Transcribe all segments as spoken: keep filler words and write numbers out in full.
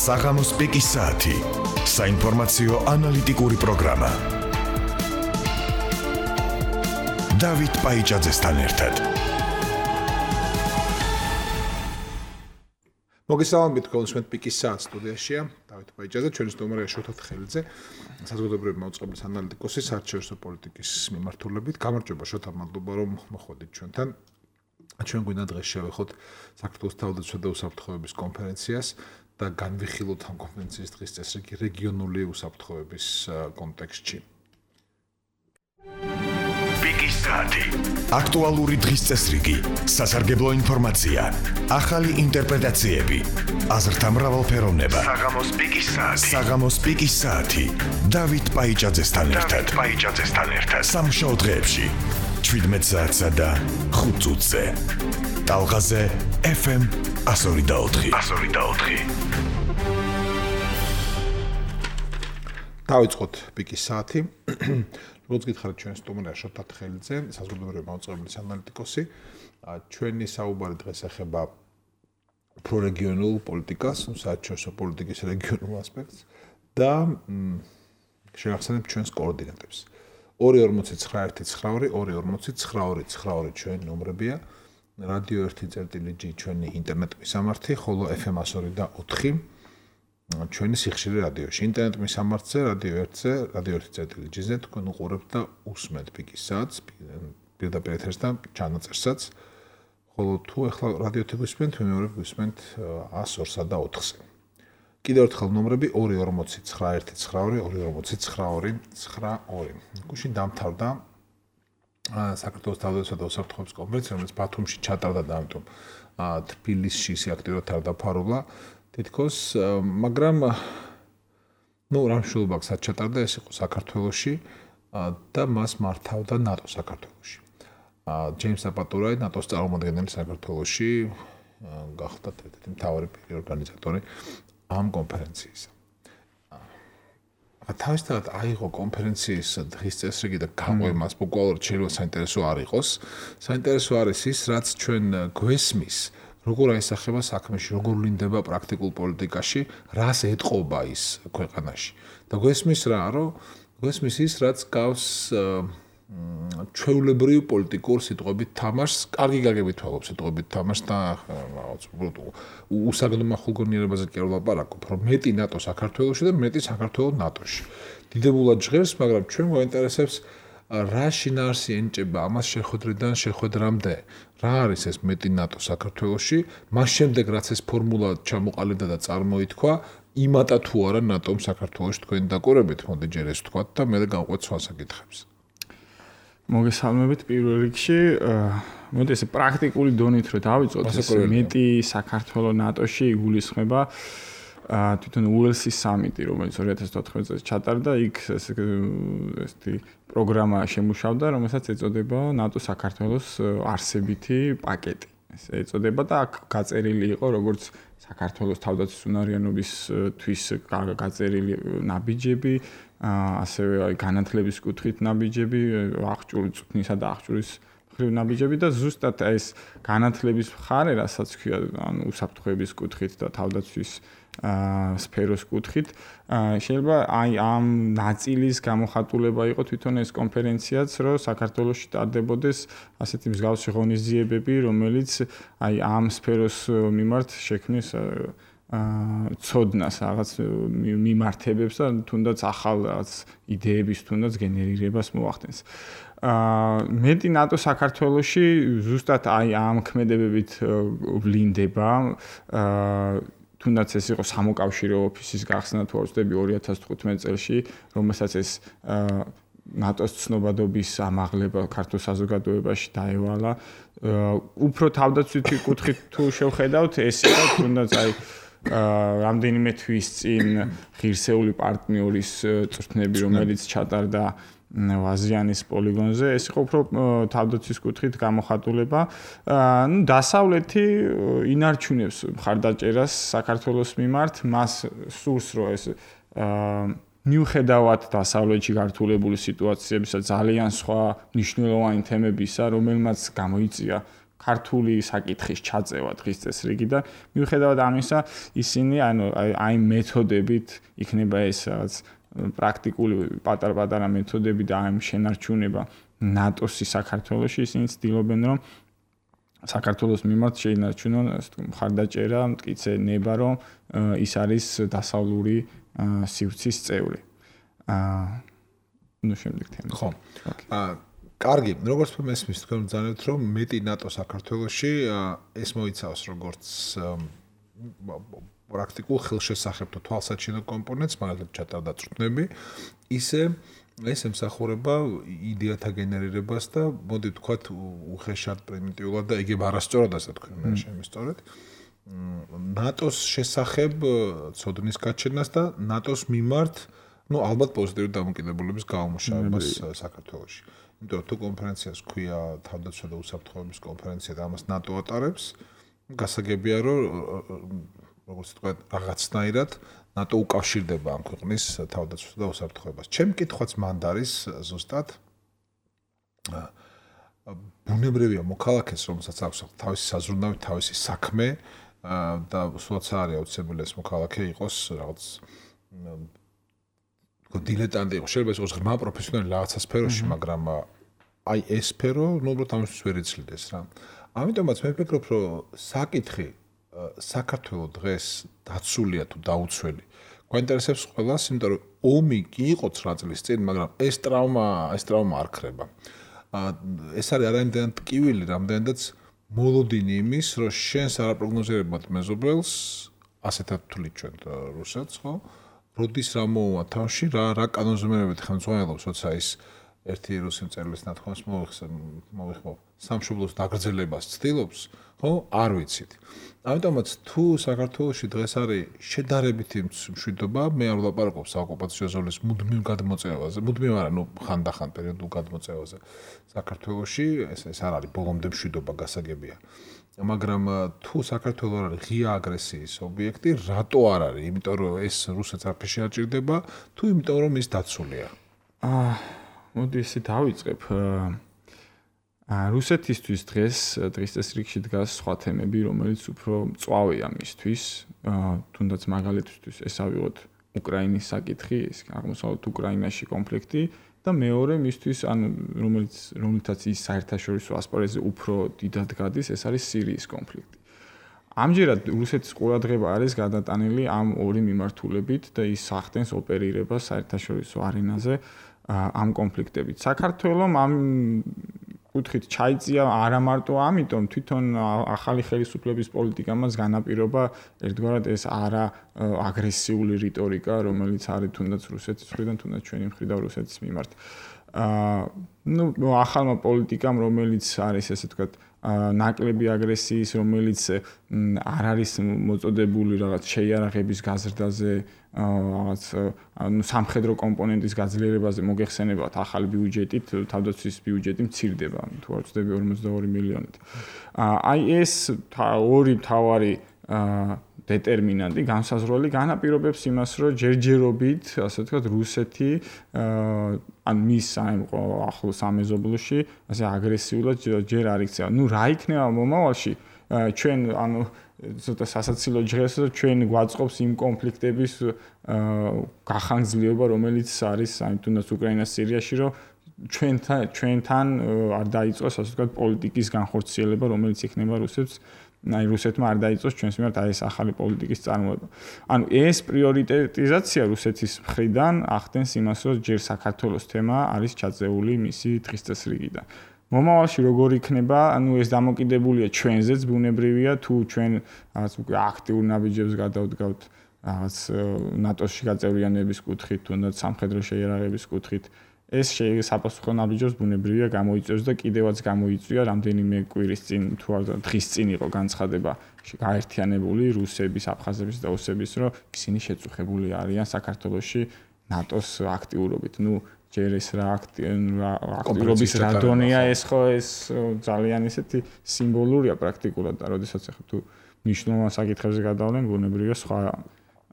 საღამოს პიკის საათი. საინფორმაციო ანალიტიკური პროგრამა. დავით პაიჭაძესთან ერთად. მოგესალმებით გულისხმობთ პიკის საათს სტუდიაშია დავით პაიჭაძე, ჩვენი სტუმარია შოთა თხელიძე, საზოგადოებრივი მოწყობის ანალიტიკოსი, საერთაშორისო პოლიტიკის მიმართულებით. გამარჯობა შოთა, მადლობა რომ მოხვედით ჩვენთან. ჩვენ გვინდა დღეს შევეხოთ საქართველოს თავდაცვა და უსაფრთხოების კონფერენციას და განვიხილოთ ამ კონფერენციის დღის წესრიგი რეგიონული უსაფრთხოების კონტექსტში. პიკის საათი. აქტუალური დღის წესრიგი, სასარგებლო ინფორმაცია, ახალი ინტერპრეტაციები, აზრთა მრავალფეროვნება. საღამოს პიკის საათი. საღამოს პიკის საათი. დავით პაიჭაძესთან ერთად. დავით პაიჭაძესთან ერთად. სამშაბათ დღეებში შვიდმეტ საათსა და ხუთ წუთზე. ტალღაზე ეფ ემ εκατო ორი და ოთხი. εκατო ორი და ოთხი. დავიწყოთ პიკის საათი. როგორც გითხარით, ჩვენ სტუმარია შოთა თხელიძე, საზოგადოებრივი მოწყობის ანალიტიკოსი. ჩვენი საუბარი დღეს ეხება პრორეგიონულ პოლიტიკას, საერთაშორისო პოლიტიკის რეგიონულ ასპექტს და შევახსენებთ ჩვენს კოორდინატებს. ორი ორმოცი ცხრა ერთი ცხრა ორი, ორი ორმოცი ცხრა ორი ცხრა ორი ჩვენი ნომრებია. რადიო ერთი წერტილი ჯი ჩვენი ინტერნეტ მისამართი, ხოლო ეფ ემ εκατო ორი და ოთხი ჩვენი სიხშირე რადიოში. ინტერნეტ მისამართზე, რადიო ერთზე, რადიო ერთი წერტილი ჯი-ზე თქვენ უყურებთ და უსმენთ პიკის საათს, პირდაპირ ეთერს და ჩანაწერსაც. ხოლო თუ ახლა რადიოთი გვისმენთ, მეორე გვისმენთ ას ორსა და ოთხზე. კიდევ ერთხელ ნომრები ორი ორმოცი ცხრა ერთი ცხრა ორი, ორი ორმოცი ცხრა ორი ცხრა ორი. გუშინ დამთავრდა საქართველოს თავდაცვა და უსაფრთხოების კონფერენცია, რომელიც ბათუმში ჩატარდა და ამიტომ თბილისში ისე აქტიურად არ დაფარულა. თითქოს, მაგრამ ნუ რა მნიშვნელობა აქვს ჩატარდა, ეს იყო საქართველოში და მას მართავდა ნატო საქართველოში. ჯეიმს საპატურაი, ნატოს წარმომადგენელი საქართველოში, გახდა ერთ-ერთი მთავარი პირი ორგანიზატორი ამ კონფერენციისა. თავისთავად აიღო კონფერენციის დღის წესრიგი და გაყვე მას ბუკვალურად შეიძლება საინტერესო არ იყოს. საინტერესო არის ის, რაც ჩვენ გვესმის, როგორ აისახება საქმეში, როგორ ვლინდება პრაქტიკულ პოლიტიკაში, რას ეტყობა ის ქვეყანაში. და გვესმის რა, რომ გვესმის ის, რაც გავს ჩვეულებრივ პოლიტიკურ სიტყვებით თამაშს, კარგი გაგებით ვაღებ სიტყვებით თამაშს და რაღაც უსაგნო ხულგონიერებაზე კი არ ვლაპარაკობ, რომ მეტი ნატო საქართველოში და მეტი საქართველო ნატოში. დიდებულად ჟღერს, მაგრამ ჩვენ გვაინტერესებს რა შინაარსი ენჭება ამას შეხვედრიდან შეხვედრამდე. რა არის ეს მეტი ნატო საქართველოში? მას შემდეგ რაც ეს ფორმულა ჩამოყალიბდა და წარმოითქვა, იმატა თუ არა ნატომ საქართველოში თქვენი დაკვირვებით, მოდი ჯერ ეს ვთქვათ და მე გავყვეთ სხვა საკითხებს. მოგესალმებით პირველ რიგში, მოდი ესე პრაქტიკული დონით რომ დავიწყოთ, ეს მეტი საქართველო ნატოში იგულისხმება თვითონ უელსის სამიტი, რომელიც ორი ათას ოთხმეტ წელს ჩატარდა, იქ ესეთი პროგრამა შემუშავდა, რომელსაც ეწოდება ნატო საქართველოს არსებითი პაკეტი. ეს ეწოდება და აქ გაწერილი იყო როგორც საქართველოს თავდაცვის უნარიანობისთვის გაწერილი ნაბიჯები, ასევე აი განათლების კუთხით ნაბიჯები, აღჭურვის წვნისა და აღჭურვის მხრივ ნაბიჯები და ზუსტად ეს განათლების მხარე, რასაც ქვია, ანუ უსაფრთხოების კუთხით და თავდაცვის სფეროს კუთხით, შეიძლება აი ამ ნაწილის გამოხატულება იყო თვითონ ეს კონფერენციაც, რომ საქართველოში ტარდებოდეს ასეთი მსგავსი ღონისძიებები, რომელიც აი ამ სფეროს მიმართ შექმნის ცოდნას, რაღაც მიმართებებს და თუნდაც ახალ რაღაც იდეების თუნდაც გენერირებას მოახდენს. მეტი ნატო საქართველოში ზუსტად აი ამ ქმედებებით ვლინდება. თუნდაც ეს იყო სამოკავშირო ოფისის გახსნა თუ არ ვცდები ორი ათას თხუთმეტ წელში, რომელსაც ეს ნატოს ცნობადობის ამაღლება ქართულ საზოგადოებაში დაევალა. უფრო თავდაცვითი კუთხით თუ შევხედავთ, ეს იყო თუნდაც აი რამდენიმე თვის წინ ღირსეული პარტნიორის წვრთნები, რომელიც ჩატარდა ვაზიანის პოლიგონზე, ეს იყო უფრო თავდაცვის კუთხით გამოხატულება. ნუ დასავლეთი ინარჩუნებს მხარდაჭერას საქართველოს მიმართ, მას სურს რომ ეს მიუხედავად დასავლეთში გართულებული სიტუაციებისა ძალიან სხვა მნიშვნელოვანი თემებისა, რომელმაც გამოიწია ქართული საკითხის ჩაწევა დღის წესრიგიდან. მიუხედავად ამისა, ისინი ანუ აი მეთოდებით იქნება ეს რაღაც პრაქტიკული პატარ-პატარა მეთოდები და აი შენარჩუნება ნატოს-ი საქართველოში, ისინი ცდილობენ რომ საქართველოს მიმართ შეინარჩუნონ მხარდაჭერა, მტკიცე ნება, რომ ის არის დასავლური სივრცის წევრი. აა ნუ შემდეგ თემა. ხო. აა კარგი, როგორც მესმის თქვენ ბრძანებთ, რომ მეტი ნატო საქართველოში ეს მოიცავს როგორც პრაქტიკულ ხელშესახებთო თვალსაჩინო კომპონენტს, მაგალითად ჩატარდა წვრთნები, ისე ეს ემსახურება იდეათა გენერირებას და მოდი ვთქვათ უხეშად პრიმიტიულად და იგივე არასწორად ასე თქვენ მე შემისწორეთ. ნატოს შესახებ ცოდნის გაჩენას და ნატოს მიმართ, ну, ალბათ პოზიტიური დამოკიდებულების გამომშავებას საქართველოში. იმიტომ რომ თუ კონფერენციას ქვია თავდაცვა და უსაფრთხოების კონფერენცია და ამას ნატო ატარებს, გასაგებია რომ როგორც ვთქვათ, რაღაცნაირად ნატო უკავშირდება ამ ქვეყნის თავდაცვას და უსაფრთხოებას. ჩემი კითხვაც მანდ არის ზუსტად ბუნებრივია მოქალაქეს, რომელსაც აქვს თავისი საზრუნავი, თავისი საქმე და სულაც არის აუცილებელი ეს მოქალაქე იყოს რაღაც დილეტანტი იყოს, შეიძლება იყოს ღრმა პროფესიონალი რაღაცა სფეროში, მაგრამ აი ეს სფერო, ну, უბრალოდ ამისთვის ვერ იცვლიდეს რა. ამიტომაც მე ვფიქრობ, რომ საკითხი საქართველოს დღეს დაცულია თუ დაუცველი. გვაინტერესებს ყველას, იმიტომ რომ ომი კი იყო ცხრა წლის წინ, მაგრამ ეს ტრავმა, ეს ტრავმა არ ქრება. ეს არის არაიმდენად ტკივილი, რამდენადაც მოლოდინი იმის, რომ შენს არაპროგნოზირებად მეზობელს ასეთად თვლით ჩვენ რუსეთს, ხო? როდის რა მოუვა თავში, რა რა კანონზომიერებით ხელმძღვანელობს, როცა ის ერთი რუსი მწერლის ნათქვამს მოვიხმობ, სამშობლოს დაგრძელებას ცდილობს, ხო? არ ვიცით. ამიტომაც თუ საქართველოში დღეს არის შედარებითი მშვიდობა, მე არ ვლაპარაკობ საოკუპაციო ზოლის მუდმივ გადმოწევაზე, მუდმივ არა, ნუ ხანდახან პერიოდულ გადმოწევაზე. საქართველოში ეს ეს არ არის ბოლომდე მშვიდობა გასაგებია. მაგრამ თუ საქართველოს არის ღია აგრესიის ობიექტი, რატო არ არის? იმიტომ რომ ეს რუსეთს არაფერში არ ჭირდება, თუ იმიტომ რომ ის დაცულია? აა, მოდი ისე დავიწყებ. აა რუსეთისთვის დღეს დღის წესრიგში დგას სხვა თემები, რომელიც უფრო მწვავეა მისთვის. აა თუნდაც მაგალითისთვის ეს ავიღოთ უკრაინის საკითხი, ეს აღმოსავლეთ უკრაინაში კონფლიქტი და მეორე მისთვის, ანუ რომელიც რომელთაც ის საერთაშორისო ასპარეზზე უფრო დიდად გადის, ეს არის სირიის კონფლიქტი. ამჯერად რუსეთის ყურადღება არის გადატანილი ამ ორი მიმართულებით და ის სახდენს ოპერირებას საერთაშორისო არენაზე ამ კონფლიქტებით. საქართველოს ამ კუთხით ჩაიწია არა მარტო ამიტომ, თვითონ ახალი ხელისუფლების პოლიტიკა მას განაპირობა ერთგვარად ეს არა აგრესიული რიტორიკა, რომელიც არის თუნდაც რუსეთის მხრიდან, თუნდაც ჩვენი მხრიდან რუსეთის მიმართ. აა ნუ ახალმა პოლიტიკამ, რომელიც არის ესე ვთქვათ, ნაკლები აგრესიის, რომელიც არ არის მოწოდებული რაღაც შეიარაღების გაზრდაზე, რაღაც ანუ სამხედრო კომპონენტის გაძლიერებაზე მოგეხსენებათ ახალი ბიუჯეტით, თავდაცვის ბიუჯეტი მცირდება, თუ არ ვცდები ორმოცდაორი მილიონით. აი ეს ორი მთავარი დეტერმინანტი, განსაზღვრელი განაპირობებს იმას, რომ ჯერჯერობით, ასე ვთქვათ, რუსეთი ან მის ახლო სამეზობლოში, ასე აგრესიულად ჯერ არ იქცევა. ნუ რა იქნება მომავალში? ჩვენ ანუ ცოტა სასაცილო ჟღერს, რომ ჩვენ გვაწყობს იმ კონფლიქტების გახანგრძლივება, რომელიც არის აი თუნდაც უკრაინას, სირიაში, რომ ჩვენთან ჩვენთან არ დაიწყოს, ასე ვთქვათ, პოლიტიკის განხორციელება, რომელიც იქნება რუსეთს აი რუსეთმა არ დაიწყოს ჩვენს მიმართ აი ეს ახალი პოლიტიკის წარმოება. ანუ ეს პრიორიტეტიზაცია რუსეთის მხრიდან ახდენს იმას, რომ ჯერ საქართველოს თემა არის ჩაწეული მისი დღის წესრიგიდან. მომავალში როგორ იქნება, ანუ ეს დამოკიდებულია ჩვენზეც, ბუნებრივია, თუ ჩვენ რაღაც უკვე აქტიურ ნაბიჯებს გადავდგავთ რაღაც ნატოში გაწევრიანების კუთხით, თუნდაც სამხედრო შეიარაღების კუთხით. ეს საფასუხო ნაბიჯებს ბუნებრივია გამოიწვევს და კიდევაც გამოიწვია რამდენიმე კვირის წინ თუ არ დღის წინ იყო განცხადება გაერთიანებული რუსების, აფხაზების და ოსების, რომ ისინი შეწუხებული არიან საქართველოში ნატოს აქტიურობით. ნუ ჯერ ეს რა აქტიურობის რა დონეა ეს ხო ეს ძალიან ისეთი სიმბოლურია პრაქტიკულად და როდესაც ახლა თუ მნიშვნელოვან საკითხებზე გადავლენ, ბუნებრივია სხვა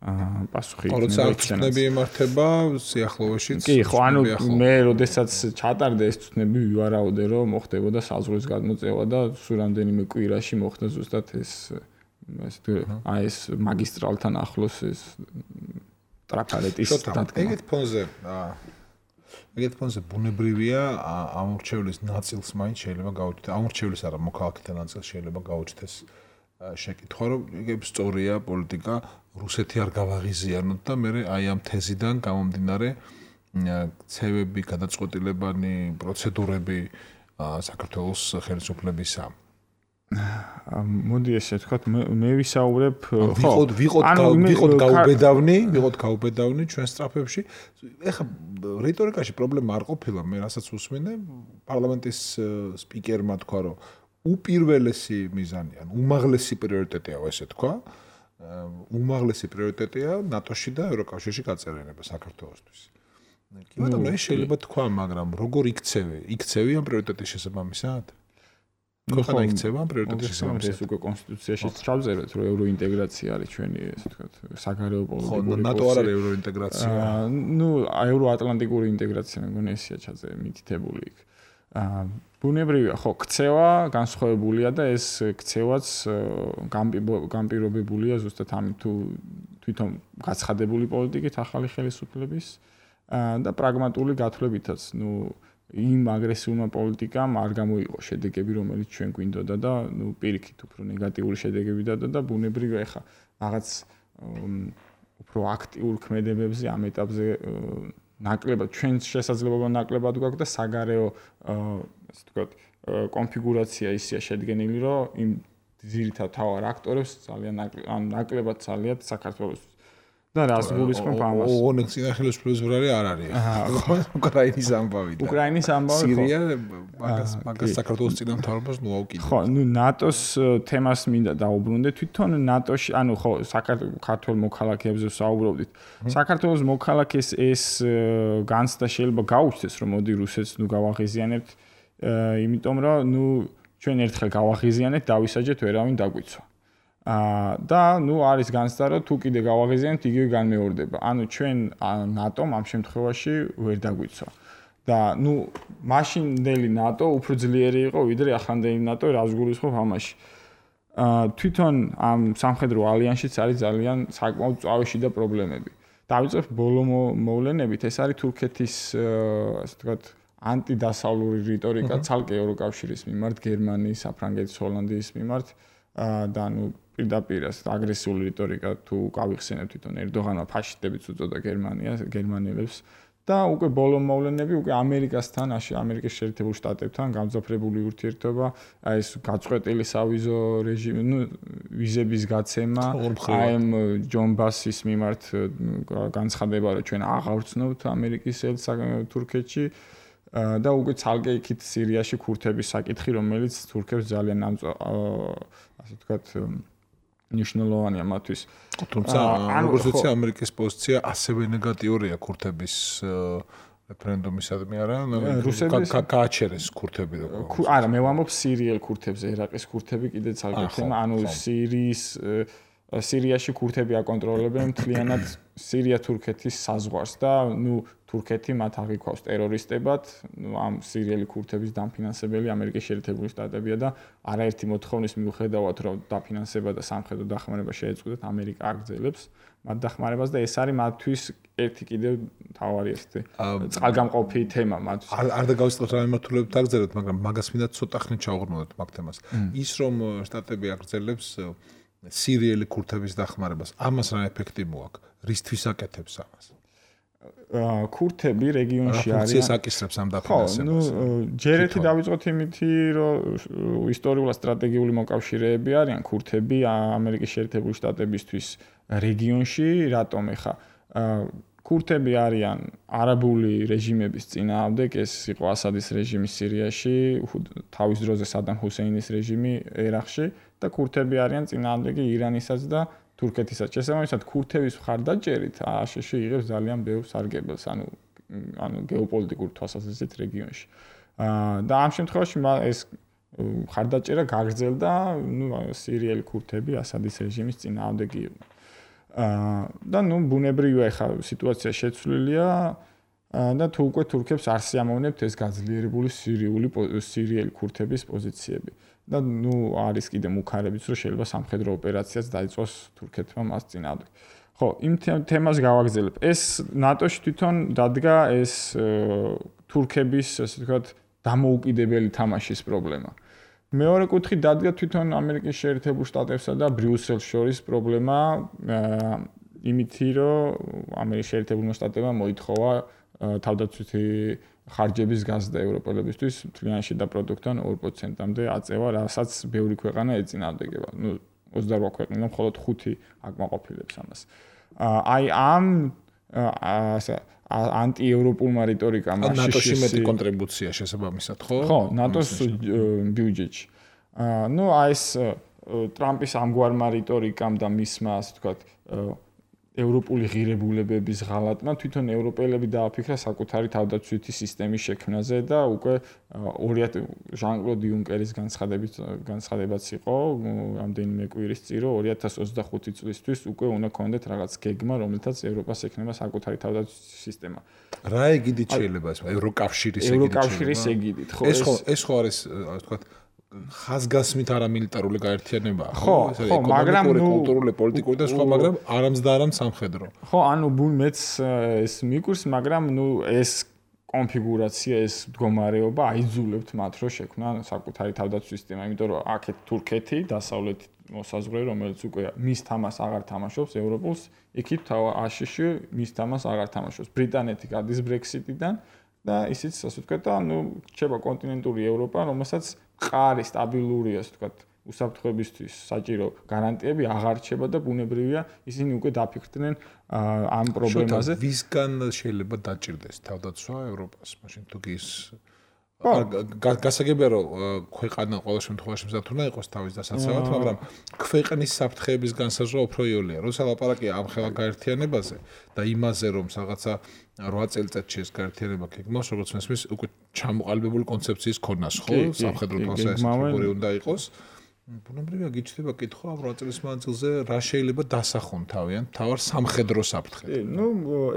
აა პასუხი იქნება. თვითონები იმართება სიახლოვეშიც. კი, ხო, ანუ მე როდესაც ჩატარდა ეს თვითონები ვივარაუდე, რომ მოხდებოდა საზღვრის გადმოწევა და სულ რამდენიმე კვირაში მოხდა ზუსტად ეს ეს აი ეს მაგისტრალთან ახლოს ეს ტრაფარეტის დადგმა. ეგეთ ფონზე აა ეგეთ ფონზე ბუნებრივია ამორჩევლის ნაწილს მაინც შეიძლება გაუჩნდეს. ამორჩევლის არა, მოქალაქეთა ნაწილს შეიძლება გაუჩნდეს შეკითხვა, რომ ეგ სწორია პოლიტიკა, რუსეთი არ გავაღიზიანოთ და მე აი ამ თეზიდან გამომდინარე ცევები, გადაწყვეტილებანი, პროცედურები საქართველოს ხელისუფლებისა. მოდი ესე ვთქვათ, მე ვისაუბრებ, ხო, ვიყოთ ვიყოთ გაუბედავნი, ვიყოთ გაუბედავნი ჩვენ სტრაფებში. ეხლა რიტორიკაში პრობლემა არ ყოფილა, მე რასაც უსმენე, პარლამენტის სპიკერმა თქვა, რომ უპირველესი მიზანი, ან უმაღლესი პრიორიტეტია, ესე თქვა. უმაღლესი პრიორიტეტია ნატოში და ევროკავშირში გაწევრიანება საქართველოსთვის. კი, მაგრამ ეს შეიძლება თქვა, მაგრამ როგორ იქცევი? იქცევი ამ პრიორიტეტის შესაბამისად? ხოდა იქცევა ამ პრიორიტეტის შესაბამისად. ეს უკვე კონსტიტუციაშიც ჩავწერეთ, რომ ევროინტეგრაცია არის ჩვენი, ესე ვთქვათ, საგარეო პოლიტიკური. ხო, ნატო არ არის ევროინტეგრაცია. ნუ ევროატლანტიკური ინტეგრაცია მეგონი ესია ჩაწერე მითითებული იქ. აა ბუნებრივია, ხო, ქცევა განსხვავებულია და ეს ქცევაც განპირობებულია ზუსტად ამით თუ თვითონ გაცხადებული პოლიტიკით ახალი ხელისუფლების და პრაგმატული გათვლებითაც. ნუ იმ აგრესიულმა პოლიტიკამ არ გამოიყო შედეგები, რომელიც ჩვენ გვინდოდა და ნუ პირიქით უფრო ნეგატიური შედეგები დადა და ბუნებრივია ხა რაღაც უფრო აქტიურ ქმედებებზე ამ ეტაპზე ნაკლებად ჩვენ შესაძლებლობა ნაკლებად გვაქვს და საგარეო ასე ვთქვათ კონფიგურაცია ისეა შედგენილი, რომ იმ ძირითად თავარ აქტორებს ძალიან ნაკლებად ძალიათ საქართველოს და რას გულისხმობ ამას? ოღონდ წინა ხელისუფლების ვრარი არ არის. უკრაინის ამბავი და უკრაინის ამბავი. სირია მაგას მაგას საქართველოს წინამთავრობას ნუ აუკიდე. ხო, ნუ ნატოს თემას მინდა დაუბრუნდე. თვითონ ნატოში, ანუ ხო, საქართველოს მოქალაქეებზე ვსაუბრობდით. საქართველოს მოქალაქეს ეს განცდა შეიძლება გაუჩნდეს, რომ მოდი რუსეთს ნუ გავაღიზიანებთ, იმიტომ რომ ნუ ჩვენ ერთხელ გავაღიზიანეთ, დავისაჯეთ, ვერავინ დაგვიცვა. აა და ნუ არის განცდა, რომ თუ კიდე გავაღიზიანებთ, იგივე განმეორდება. ანუ ჩვენ ნატომ ამ შემთხვევაში ვერ დაგვიცვა. და ნუ მაშინდელი ნატო უფრო ძლიერი იყო, ვიდრე ახლანდელი ნატო, რას გულისხმობ ამაში. აა თვითონ ამ სამხედრო ალიანსშიც არის ძალიან საკმაოდ წავეში და პრობლემები. დავიწყებ ბოლო მოვლენებით, ეს არის თურქეთის ასე ვთქვათ ანტიდასავლური რიტორიკა ცალკე ევროკავშირის მიმართ, გერმანიის, საფრანგეთის, ჰოლანდიის მიმართ და ნუ პირდაპირ აგრესიული რიტორიკა თუ გავიხსენებ თვითონ ერდოღანმა ფაშისტებიც უწოდა გერმანიას, გერმანელებს და უკვე ბოლო მოვლენები უკვე ამერიკასთან, ამერიკის შეერთებულ შტატებთან გამძაფრებული ურთიერთობა, აი ეს გაწყვეტილი სავიზო რეჟიმი, ნუ ვიზების გაცემა, აი ამ ჯონ ბასის მიმართ განცხადება, რომ ჩვენ აღარ ვცნობთ ამერიკის ელს თურქეთში და უკვე ცალკე იქით სირიაში ქურთების საკითხი, რომელიც თურქებს ძალიან ასე ვთქვათ ნიშნულოვანია მათთვის. თუმცა როგორც ვიცი, ამერიკის პოზიცია ასევე ნეგატიურია ქურთების რეფერენდუმისადმი არა? რუსების გააჩერეს ქურთები როგორ? არა, მე ვამბობ სირიელ ქურთებზე, ერაყის ქურთები კიდე ცალკე თემა, ანუ სირიის სირიაში ქურთები აკონტროლებენ მთლიანად სირია-თურქეთის საზღვარს და ნუ თურქეთი მათ აღიქვავს ტერორისტებად, ნუ ამ სირიელი ქურთების დამფინანსებელი ამერიკის შეერთებული შტატებია და არაერთი მოთხოვნის მიუხედავად, რომ დაფინანსება და სამხედრო დახმარება შეეწყვეტათ, ამერიკა აგრძელებს მათ დახმარებას და ეს არის მათთვის ერთი კიდევ მთავარი ესეთი წყალგამყოფი თემა მათთვის. არ არ დაგავიწყოთ რა მიმართულებით აგრძელოთ, მაგრამ მაგას მინდა ცოტა ხნით ჩავღრმავდეთ მაგ თემას. ის რომ შტატები აგრძელებს სირიელი ქურთების დახმარებას, ამას რა ეფექტი მოაქვს? რისთვის აკეთებს ამას? ქურთები რეგიონში არიან. ფუნქციას აკისრებს ამ დაფინანსებას. ხო, ნუ ჯერ ერთი დავიწყოთ იმითი, რომ ისტორიულად სტრატეგიული მოკავშირეები არიან ქურთები ამერიკის შეერთებული შტატებისთვის რეგიონში, რატომ ეხა ქურთები არიან არაბული რეჟიმების წინააღმდეგ, ეს იყო ასადის რეჟიმი სირიაში, თავის დროზე სადამ ჰუსეინის რეჟიმი ერაყში და ქურთები არიან წინააღმდეგი ირანისაც და თურქეთისაც. შესაბამისად, ქურთების მხარდაჭერით აშშ იღებს ძალიან ბევრ სარგებელს, ანუ ანუ გეოპოლიტიკურ თვალსაზრისით რეგიონში. აა და ამ შემთხვევაში ეს მხარდაჭერა გაგრძელდა, ნუ სირიელი ქურთები ასადის რეჟიმის წინააღმდეგი იყვნენ. აა და ნუ ბუნებრივია ხა სიტუაცია შეცვლილია და თუ უკვე თურქებს არ სიამოვნებთ ეს გაძლიერებული სირიული სირიელი ქურთების პოზიციები და ნუ არის კიდე მუქარებიც რომ შეიძლება სამხედრო ოპერაციაც დაიწყოს თურქეთმა მას წინააღმდეგ. ხო, იმ თემას გავაგზავნებ. ეს ნატოში თვითონ დადგა ეს თურქების, ასე ვთქვათ, დამოუკიდებელი თამაშის პრობლემა. მეორე კუთხით დადგა თვითონ ამერიკის შეერთებულ შტატებსა და ბრიუსელს შორის პრობლემა იმითი, რომ ამერიკის შეერთებულმა შტატებმა მოითხოვა თავდაცვითი ხარჯების გაზრდა ევროპელებისთვის მთლიან შიდა პროდუქტთან ორ პროცენტამდე აწევა, რასაც ბევრი ქვეყანა ეწინააღმდეგება. ნუ ოცდარვა ქვეყანა მხოლოდ ხუთი აკმაყოფილებს ამას. აი ამ ასე ანტიევროპულმა რიტორიკამ ნატოში მეტი კონტრიბუცია შესაბამისად, ხო? ხო, ნატოს ბიუჯეტში. ნუ აი ეს ტრამპის ამგვარმა რიტორიკამ და მისმა, ასე ვთქვათ, ევროპული ღირებულებების ღალატმა თვითონ ევროპელები დააფიქრა საკუთარი თავდაცვითი სისტემის შექმნაზე და უკვე ჟან-კლოდ იუნკერის განცხადებით განცხადებაც იყო რამდენიმე კვირის წინ რომ ორი ათას ოცდახუთი წლისთვის უკვე უნდა ქონდეთ რაღაც გეგმა რომელთაც ევროპას ექნება საკუთარი თავდაცვითი სისტემა. რა ეგიდით შეიძლება ეს ევროკავშირის ეგიდით ევროკავშირის ეგიდით ხო ეს ხო ეს ხო არის ასე ვთქვათ ხაზგასმით არამილიტარული გაერთიანებაა ხო ხო მაგრამ ნუ კულტურული პოლიტიკური და სხვა მაგრამ არამც და არამც სამხედრო ხო ანუ ბუნ მეც ეს მიკურს მაგრამ ნუ ეს კონფიგურაცია ეს მდგომარეობა აიძულებთ მათ რომ შექმნან საკუთარი თავდაცვის სისტემა იმიტომ რომ აქეთ თურქეთი დასავლეთ მოსაზღვრე რომელიც უკვე მის თამას აღარ თამაშობს ევროპულს იქით აშშ მის თამას აღარ თამაშობს ბრიტანეთი გადის ბრექსიტიდან და ისიც ასე ვთქვათ და ნუ რჩება კონტინენტური ევროპა რომელსაც ყარი სტაბილური ასე ვთქვათ უსაფრთხოებისთვის საჭირო გარანტიები აღარ რჩება და ბუნებრივია ისინი უკვე დაფიქრდნენ ამ პრობლემაზე ვისგან შეიძლება დაჭირდეს თავდაცვა ევროპას მაშინ თუ კი ის გასაგებია რომ ქვეყანა ყოველ შემთხვევაში მზად უნდა იყოს თავის დასაცავად მაგრამ ქვეყნის საფრთხეების განსაზღვრა უფრო იოლია როცა ლაპარაკია ამ ხელა გაერთიანებაზე და იმაზე რომ რაღაცა რვა წელიწადში ეს გაერთიანება გეგმავს როგორც მესმის უკვე ჩამოყალიბებული კონცეფციის ქონას ხო სამხედრო თვალსაზრისით უნდა იყოს ბუნებრივია გიჩნდება კითხვა ამ რვა წლის მანძილზე რა შეიძლება დასახონ თავიანთ თავარ სამხედრო საფრთხედ ნუ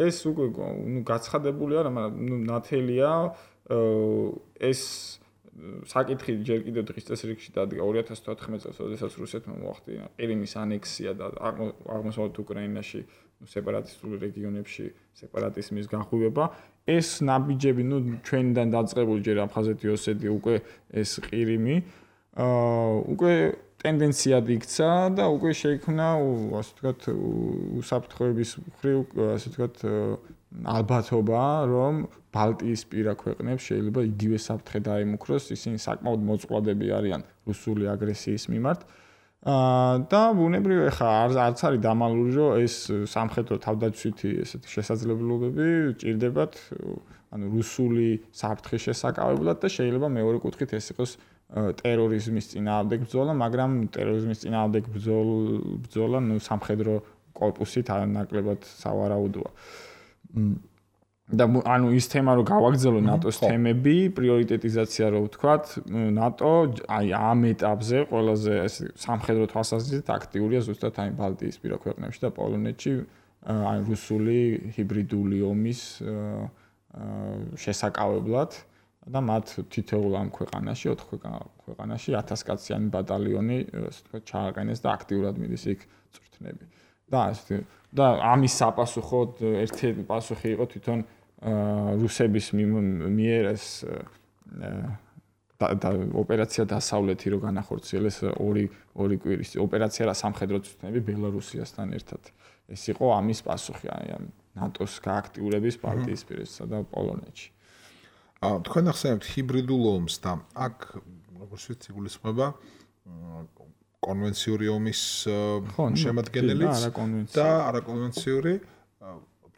ეს უკვე ნუ გაცხადებული არა მაგრამ ნუ ნათელია ეს საკითხი ჯერ კიდევ დღის წესრიგში დადგა ორი ათას თოთხმეტ წელს, როდესაც რუსეთმა მოახდინა ყირიმის ანექსია და აღმოსავლეთ უკრაინაში, სეპარატისტულ რეგიონებში სეპარატიზმის განხილვა. ეს ნაბიჯები, ნუ ჩვენიდან დაწყებული ჯერ აფხაზეთი, ოსეთი უკვე ეს ყირიმი, აა უკვე ტენდენციად იქცა და უკვე შეიქმნა, ასე ვთქვათ, უსაფრთხოების მხრივ, ასე ვთქვათ, ალბათობა, რომ ბალტიისპირა ქვეყნებს შეიძლება იგივე საფრთხე დაემუქროს, ისინი საკმაოდ მოწყვლადები არიან რუსული აგრესიის მიმართ. აა და ბუნებრივია ხა არც არის დამალული, რომ ეს სამხედრო თავდაცვითი ესეთი შესაძლებლობები ჭირდებათ, ანუ რუსული საფრთხის შესაკავებლად და შეიძლება მეორე კუთხით ეს იყოს ტერორიზმის წინააღმდეგ ბრძოლა, მაგრამ ტერორიზმის წინააღმდეგ ბრძოლა, ნუ სამხედრო კორპუსით არანაკლებად სავარაუდოა. და ანუ ის თემა რომ გავაგრძელო ნატოს თემები, პრიორიტეტიზაცია რო ვთქვათ, ნატო აი ამ ეტაპზე ყველაზე ეს სამხედრო თვალსაზრისით აქტიურია ზუსტად აი ბალტიისპირა ქვეყნებში და პოლონეთში აი რუსული ჰიბრიდული ომის შესაკავებლად და მათ თითოეულ ამ ქვეყანაში, ოთხ ქვეყანაში ათასკაციანი ბატალიონი, ასე ვთქვათ, ჩააყენეს და აქტიურად მიდის იქ წვრთნები. და ასე და ამის საპასუხოდ ერთ-ერთი პასუხი იყო თვითონ რუსების მიერ ეს და ოპერაცია დასავლეთი რო განახორციელეს ორი ორი კვირის ოპერაცია რა სამხედრო წვრთნები ბელარუსიასთან ერთად. ეს იყო ამის პასუხი აი ამ ნატოს გააქტიურების ბალტიისპირეთსა და პოლონეთში. აა თქვენ ახსენებთ ჰიბრიდულ ომს და აქ როგორც ვიცი გულისხმობა კონვენციური ომის შემადგენელიც და არაკონვენციური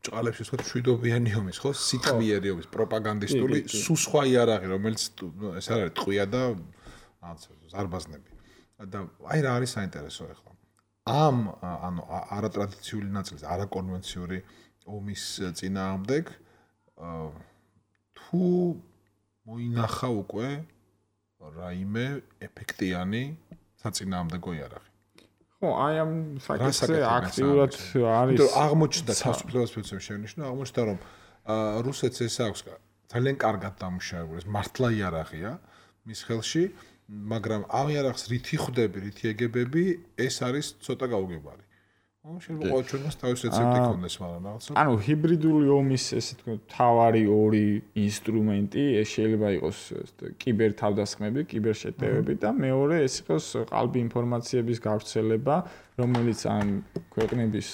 ბჭყალებში ვთქვათ მშვიდობიანი ომის ხო სიტყვიერი ომის პროპაგანდისტული სულ სხვა იარაღი რომელიც ეს არ არის ტყვია და რაღაც ზარბაზნები და აი რა არის საინტერესო ახლა ამ ანუ არატრადიციული ნაწილის არაკონვენციური ომის წინააღმდეგ თუ მოინახა უკვე რაიმე ეფექტიანი საწინააღმდეგო იარაღი. ხო, ხო, აი ამ საკითხზე აქტიურად არის. იმიტომ აღმოჩნდა თავისუფლებას ფიცემ შენიშნა, აღმოჩნდა რომ რუსეთს ეს აქვს ძალიან კარგად დამუშავებული, ეს მართლა იარაღია მის ხელში, მაგრამ ამ იარაღს რითი ხვდები, რითი ეგებები, ეს არის ცოტა გაუგებარი. ო, შეიძლება ყოველ ჩვენს თავის რეცეპტი ქონდეს, მაგრამ რაღაცა. ანუ ჰიბრიდული ომის ესე თქო თავარი ორი ინსტრუმენტი, ეს შეიძლება იყოს კიბერ თავდასხმები, კიბერ შეტევები და მეორე ეს იყოს ყალბი ინფორმაციების გავრცელება, რომელიც ამ ქვეყნების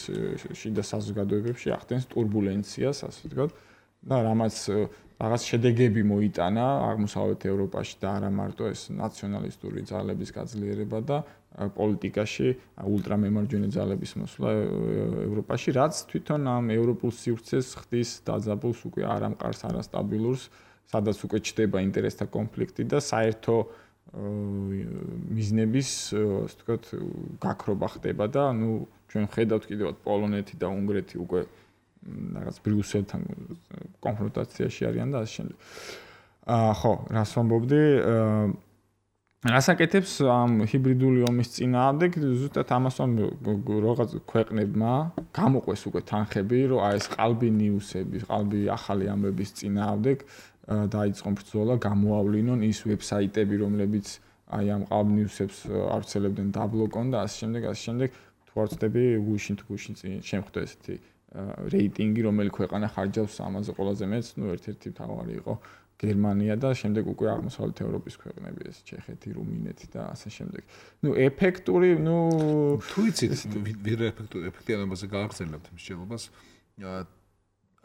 შიდა საზოგადოებებში ახდენს турბულენციას, ასე ვთქვათ, და რამაც რაღაც შედეგები მოიტანა აღმოსავლეთ ევროპაში და არა მარტო ეს ნაციონალისტური ძალების გაძლიერება და პოლიტიკაში ულტრამემარჯვენე ძალების მოსვლა ევროპაში, რაც თვითონ ამ ევროპულ სივრცეს ხდის დაძაბულს უკვე არ ამყარს არასტაბილურს, სადაც უკვე ჩდება ინტერესთა კონფლიქტი და საერთო მიზნების, ასე ვთქვათ, გაქრობა ხდება და ნუ ჩვენ ხედავთ კიდევ პოლონეთი და უნგრეთი უკვე რაღაც ბრიუსელთან კონფრონტაციაში არიან და ასე შემდეგ. აა ხო, რას ვამბობდი? რასაკეთებს ამ ჰიბრიდული ომის წინააღმდეგ ზუსტად ამას რაღაც ქვეყნებმა გამოყვეს უკვე თანხები, რომ აი ეს ყალბი ნიუსების, ყალბი ახალი ამბების წინააღმდეგ დაიწყონ ბრძოლა, გამოავლინონ ის ვებსაიტები, რომლებიც აი ამ ყალბ ნიუსებს ავრცელებდნენ, დაბლოკონ და ასე შემდეგ, ასე შემდეგ. თუ არ ვწდები, გუშინ თუ გუშინ შემხვდა ესეთი რეიტინგი, რომელი ქვეყანა ხარჯავს ამაზე ყველაზე მეც, ну ერთ-ერთი მთავარი იყო გერმანია და შემდეგ უკვე აღმოსავლეთ ევროპის ქვეყნები, ეს ჩეხეთი, რუმინეთი და ასე შემდეგ. ну ეფექტური, ну თუ იცით, ვირ ეფექტური ეფექტიანობაზე გააგრძელებთ მსჯელობას.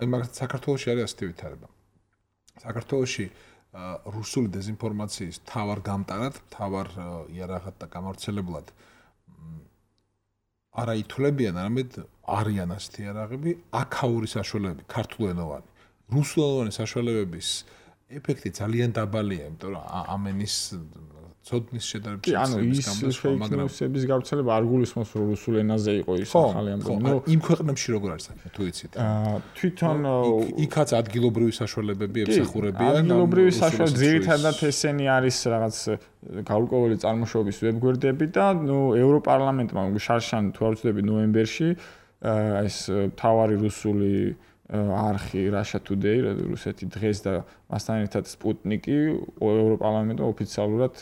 აი მაგათ საქართველოში არის ასეთი ვითარება. საქართველოში რუსული დეзинფორმაციის თავარ გამტარად, თავარ იარაღად და გამავრცელებლად არა ითვლებიან, არამედ არიან ასეთი იარაღები, აქაური საშუალებები, ქართულენოვანი. რუსულენოვანი საშუალებების ეფექტი ძალიან დაბალია, იმიტომ რომ ამენის ცოდნის შედარებით შეცდომის მაგრამ ის გავრცელება არ გულისხმობს რომ რუსულ ენაზე იყო ის ახალი ამბავი. ნუ იმ ქვეყნებში როგორ არის საქმე, თუ იცით? აა თვითონ იქაც ადგილობრივი საშუალებები ემსახურებიან. ადგილობრივი საშუალებები ძირითადად ესენი არის რაღაც გაურკვეველი წარმოშობის ვებგვერდები და ნუ ევროპარლამენტმა შარშან თუ არ ვწდები ნოემბერში ეს თავარი რუსული არხი Russia Today, რუსეთი დღეს და მასთან ერთად სპუტნიკი ევროპარლამენტმა ოფიციალურად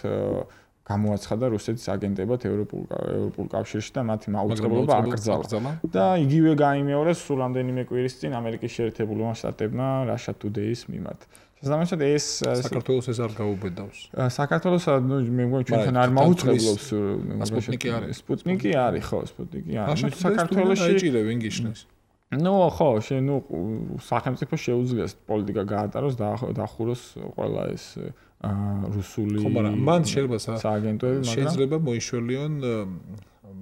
გამოაცხადა რუსეთის აგენტებად ევროპულ ევროპულ კავშირში და მათი მაუწყებლობა აკრძალა. და იგივე გაიმეორეს სულ რამდენიმე კვირის წინ ამერიკის შეერთებულმა შტატებმა Russia Today-ის მიმართ. შესაბამისად ეს საქართველოს ეს არ გაუბედავს. საქართველოს ნუ მე მგონი ჩვენთან არ მაუწყებლობს სპუტნიკი არის. სპუტნიკი არის, ხო, სპუტნიკი არის. საქართველოში აიჭირე ვინ გიშნეს. ნუ ხო, შე ნუ სახელმწიფო შეუძლია პოლიტიკა გაატაროს და დახუროს ყველა ეს რუსული ხო, მაგრამ მან შეიძლება სააგენტოები, მაგრამ შეიძლება მოიშველიონ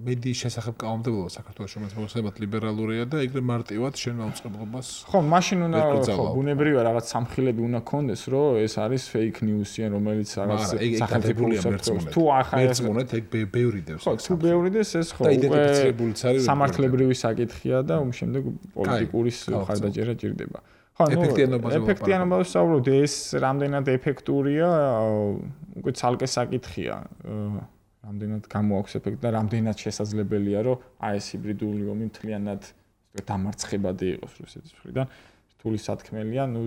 მედიის შესახებ კანონმდებლობა საქართველოს, რომელიც მოსაებად ლიბერალურია და ეგრე მარტივად შენ აუწყებლობას. ხო, მაშინ უნდა ხო, ბუნებრივია რაღაც სამხილები უნდა კონდეს, რომ ეს არის fake news-ი, რომელიც რაღაც სახელმწიფოა მერწმუნეთ. თუ ახლა მერწმუნეთ, ეგ ბევრიდებს. ხო, თუ ბევრიდებს ეს ხო, უკვე სამართლებრივი საკითხია და ում შემდეგ პოლიტიკური ხარდაჭერა ჭირდება. ხო, ნუ ეფექტიანობაზე ვსაუბრობთ, ეს რამდენად ეფექტურია, უკვე ცალკე საკითხია. რამდენად გამოაქვს ეფექტი და რამდენად შესაძლებელია, რომ აი ეს ჰიბრიდული ომი მთლიანად დამარცხებადი იყოს რუსეთის მხრიდან. რთული სათქმელია, ნუ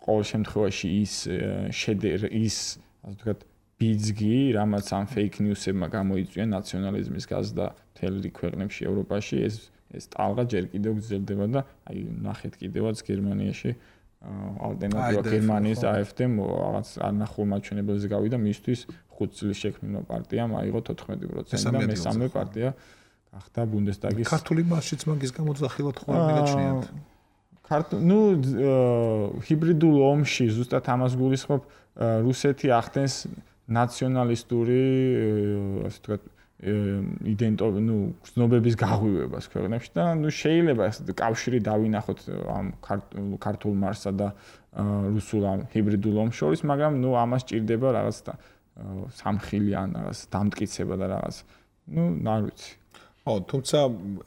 ყოველ შემთხვევაში ის შედერ ის, ასე ვთქვათ, ბიძგი, რამაც ამ fake news-ებმა გამოიწვია ნაციონალიზმის გაზრდა მთელ ქვეყნებში ევროპაში, ეს ეს ტალღა ჯერ კიდევ გრძელდება და აი ნახეთ კიდევაც გერმანიაში ალტერნატივა გერმანიის AfD-მ რაღაც არნახულ მაჩვენებელზე გავიდა მისთვის ხუთ წლის შექმნილმა პარტიამ აიღო თოთხმეტი პროცენტი და მესამე პარტია გახდა ბუნდესტაგის. ქართული მასშიც მაგის გამოძახილად ხო არ მიგაჩნიათ? ქართულ ნუ ჰიბრიდულ ომში ზუსტად ამას გულისხმობ რუსეთი ახდენს ნაციონალისტური ასე ვთქვათ იდენტო ნუ გზნობების გაღვივებას ქვეყნებში და ნუ შეიძლება ეს კავშირი დავინახოთ ამ ქართულ მარსსა და რუსულ ამ ჰიბრიდულ ომს შორის, მაგრამ ნუ ამას ჭირდება რაღაც სამხილი ან რაღაც დამტკიცება და რაღაც ნუ არ ვიცი. ხო, თუმცა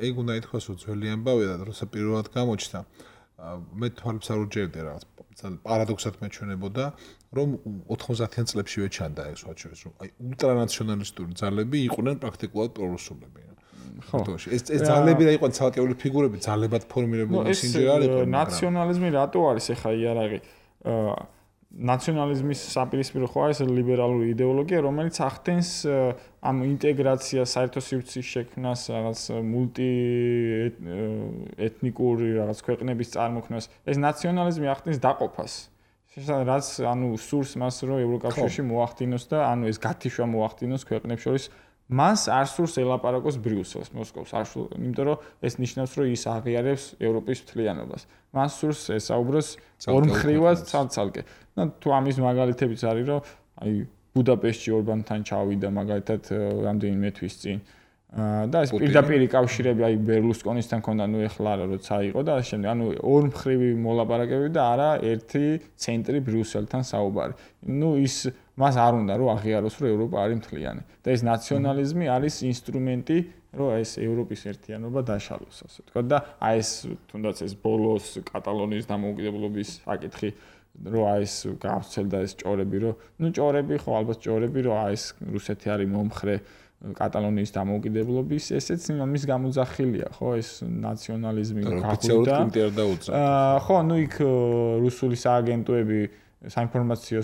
ეგ უნდა ითქვას, რომ ძველი ამბავია და როცა პირველად გამოჩნდა მე თვალებს არ უჯერებდი რაღაც პარადოქსად მეჩვენებოდა რომ ოთხმოცდაათიან წლებშივე ჩანდა ეს ვაჩვენებს რომ აი ულტრანაციონალისტური ძალები იყვნენ პრაქტიკულად პრორუსულები. ხო, ეს ეს ძალები რა იყვნენ ცალკეული ფიგურები ძალებად ფორმირებული სინჯერ არ იყვნენ. ნაციონალიზმი რატო არის ახლა იარაღი? ნაციონალიზმის საპირისპირო ხო არის ლიბერალური იდეოლოგია, რომელიც ახდენს ამ ინტეგრაციას, საერთო სივრცის შექმნას, რაღაც მულტი ეთნიკური რაღაც ქვეყნების წარმოქმნას. ეს ნაციონალიზმი ახდენს დაყოფას. რაც ანუ სურს მას რომ ევროკავშირში მოახდინოს და ანუ ეს გათიშვა მოახდინოს ქვეყნებს შორის. მას არ სურს ელაპარაკოს ბრიუსელს, მოსკოვს, არ სურს, იმიტომ რომ ეს ნიშნავს რომ ის აღიარებს ევროპის მთლიანობას. მას სურს ესაუბროს ორმხრივად ცალ-ცალკე. თუ ამის მაგალითებიც არის რომ აი ბუდაპეშტში ორბანთან ჩავიდა მაგალითად რამდენიმე თვის წინ და ეს პირდაპირი კავშირები აი ბერლუსკონისთან ქონდა ნუ ეხლა არა როცა იყო და ამ შემდეგ ანუ ორმხრივი მოლაპარაკებები და არა ერთი ცენტრი ბრიუსელთან საუბარი. ნუ ის მას არ უნდა რომ აღიაროს რომ ევროპა არის მთლიანი და ეს ნაციონალიზმი არის ინსტრუმენტი რომ ეს ევროპის ერთიანობა დაშალოს ასე ვთქვა და აი ეს თუნდაც ეს ბოლოს კატალონიის დამოუკიდებლობის საკითხი რომ აი ეს გავრცელდა ეს ჭორები რომ ნუ ჭორები ხო ალბათ ჭორები რომ აი ეს რუსეთი არის მომხრე კატალონიის დამოუკიდებლობის ესეც იმის გამოძახილია ხო ეს ნაციონალიზმი გახდა აა ხო ნუ იქ რუსული სააგენტოები საინფორმაციო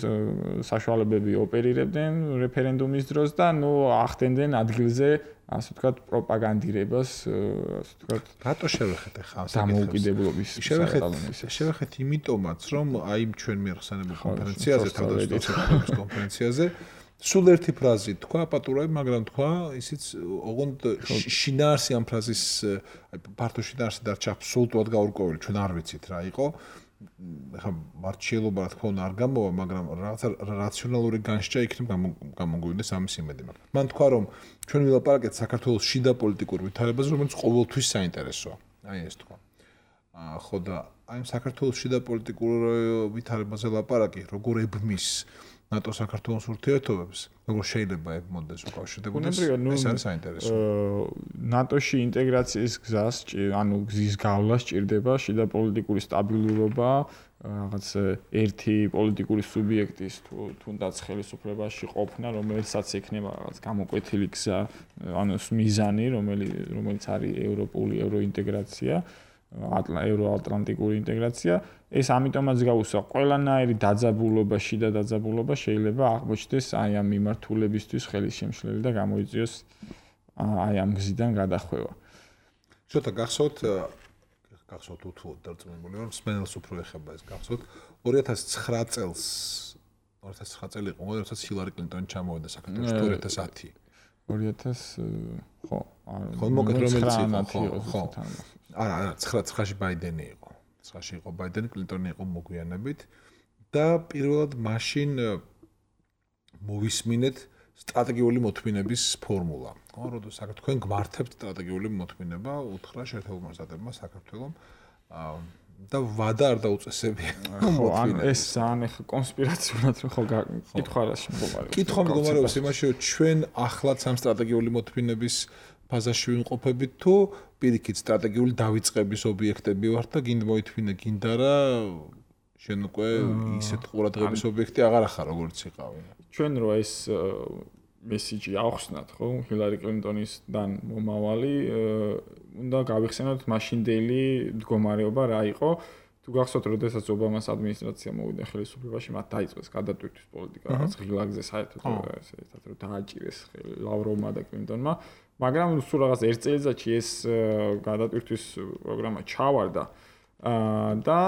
საშუალებები ოპერირებდნენ რეფერენდუმის დროს და ნუ ახდენდნენ ადგილზე ასე ვთქვათ პროპაგანდირებას ასე ვთქვათ რატო შევეხეთ ახლა ამ დამოუკიდებლობის შევეხეთ შევეხეთ იმიტომაც რომ აი ჩვენ მიახსენებულ კონფერენციაზე თავდაცვის კონფერენციაზე სულ ერთი ფრაზით თქვა პატურები მაგრამ თქვა ისიც ოღონდ შინაარსი ამ ფრაზის აი ფართო შინაარსი დარჩა აბსოლუტურად გაურკვეველი ჩვენ არ ვიცით რა იყო ახლა მარჩიელობა რა თქმა უნდა არ გამოვა მაგრამ რაღაცა რაციონალური განსჯა იქნებ გამოგვივიდეს ამის იმედი მაგრამ მან თქვა რომ ჩვენ ვილაპარაკეთ საქართველოს შიდა პოლიტიკურ ვითარებაზე რომელიც ყოველთვის საინტერესოა აი ეს თქვა ხო და აი საქართველოს შიდა პოლიტიკურ ვითარებაზე ლაპარაკი როგორ ებმის ნატო საქართველოს ურთიერთობებს როგორ შეიძლება ებმოდეს უკავშირდებოდეს ეს არის საინტერესო ნატოში ინტეგრაციის გზას ანუ გზის გავლა სჭირდება შიდა პოლიტიკური სტაბილურობა რაღაც ერთი პოლიტიკური სუბიექტის თუნდაც ხელისუფლებაში ყოფნა რომელსაც ექნება რაღაც გამოკვეთილი გზა ანუ მიზანი რომელიც არის ევროპული ევროინტეგრაცია ევროატლანტიკური ინტეგრაცია ეს ამიტომაც გავუსვა ყველანაირი დაძაბულობა შიდა დაძაბულობა შეიძლება აღმოჩნდეს აი ამ მიმართულებისთვის ხელისშემშლელი და გამოიწვიოს აი ამ გზიდან გადახვევა. ცოტა გახსოვთ გახსოვთ უთუოდ დარწმუნებული ვარ სპენელს უფრო ეხება ეს გახსოვთ ორი ათას ცხრა წელს ორი ათას ცხრა წელი იყო როდესაც ჰილარი კლინტონი ჩამოვიდა საქართველოში ორი ათას ათი ორი ათას ხო ხო მოგეთ რომელიც იყო ხო არა არა ცხრა ცხრაში ბაიდენი იყო ცხრაში იყო ბაიდენი კლინტონი იყო მოგვიანებით და პირველად მაშინ მოვისმინეთ სტრატეგიული მოთმინების ფორმულა ხო როდესაც თქვენ გმართებთ სტრატეგიული მოთმინება უთხრა შეერთებულმა შტატებმა საქართველოს და ვადა არ დაუწესებია ხო ან ეს ძალიან ახლა კონსპირაციულად ხო კითხვა რაში მდგომარეობს კითხვა მდგომარეობს იმაში რომ ჩვენ ახლაც ამ სტრატეგიული მოთმინების ფაზაში ვიმყოფებით თუ პირიქით სტრატეგიული დავიწყების ობიექტები ვართ და გინდა მოითმინე გინდა რა შენ უკვე ისეთ ყურადღების ობიექტი აღარ ახარ როგორც იყავი ჩვენ რო ეს მესიჯი ახსნათ ხო ჰილარი კლინტონისთან მომავალი უნდა გავიხსენოთ მაშინდელი მდგომარეობა რა იყო თუ გახსოვთ როდესაც ობამას ადმინისტრაცია მოვიდა ხელისუფლებაში მათ დაიწყეს გადატვირთვის პოლიტიკა რაც ღილაკზე საერთოდ ესეთ რომ დააჭირეს ლავროვმა და კლინტონმა მაგრამ სულ რაღაც ერთ წელიწადში ეს გადატვირთვის პროგრამა ჩავარდა და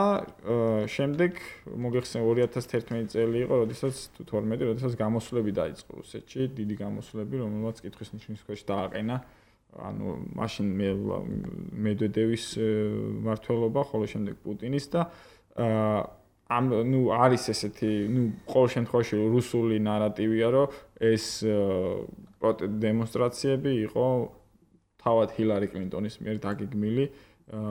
შემდეგ მოგეხსენე ორი ათას თერთმეტი წელი იყო როდესაც თუ თორმეტი როდესაც გამოსვლები დაიწყო რუსეთში დიდი გამოსვლები რომელმაც კითხვის ნიშნის ქვეშ დააყენა ანუ მაშინ მედვედევის მმართველობა ხოლო შემდეგ პუტინის და ამ ნუ არის ესეთი ნუ ყოველ შემთხვევაში რუსული ნარატივია რომ ეს დემონსტრაციები იყო თავად ჰილარი კლინტონის მიერ დაგეგმილი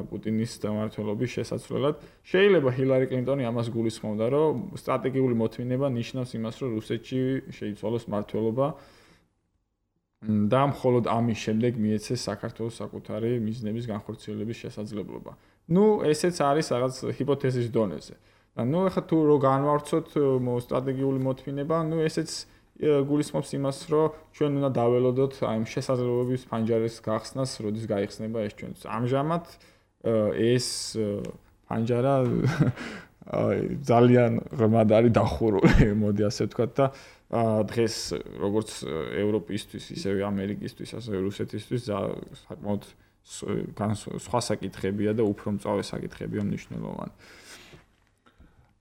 პუტინის დამმართველობის შესაცვლელად შეიძლება ჰილარი კლინტონი ამას გულისხმობდა რომ სტრატეგიული მოთმინება ნიშნავს იმას რომ რუსეთში შეიცვალოს მმართველობა და მხოლოდ ამის შემდეგ მიეცეს საქართველოს საკუთარი მიზნების განხორციელების შესაძლებლობა ნუ ესეც არის რაღაც ჰიპოთეზის დონეზე. და ნუ ახლა თუ რო განვარცოთ სტრატეგიული მოთმინება, ნუ ესეც გულისხმობს იმას, რომ ჩვენ უნდა დაველოდოთ აი ამ შესაძლებლობის ფანჯარის გახსნას, როდის გაიხსნება ეს ჩვენ. ამჟამად ეს ფანჯარა ძალიან ღრმად არის დახურული, მოდი ასე ვთქვათ და დღეს როგორც ევროპისთვის, ისევე ამერიკისთვის, ასევე რუსეთისთვის საკმაოდ სხვა საკითხებია და უფრო მწვავე საკითხებია მნიშვნელოვანი.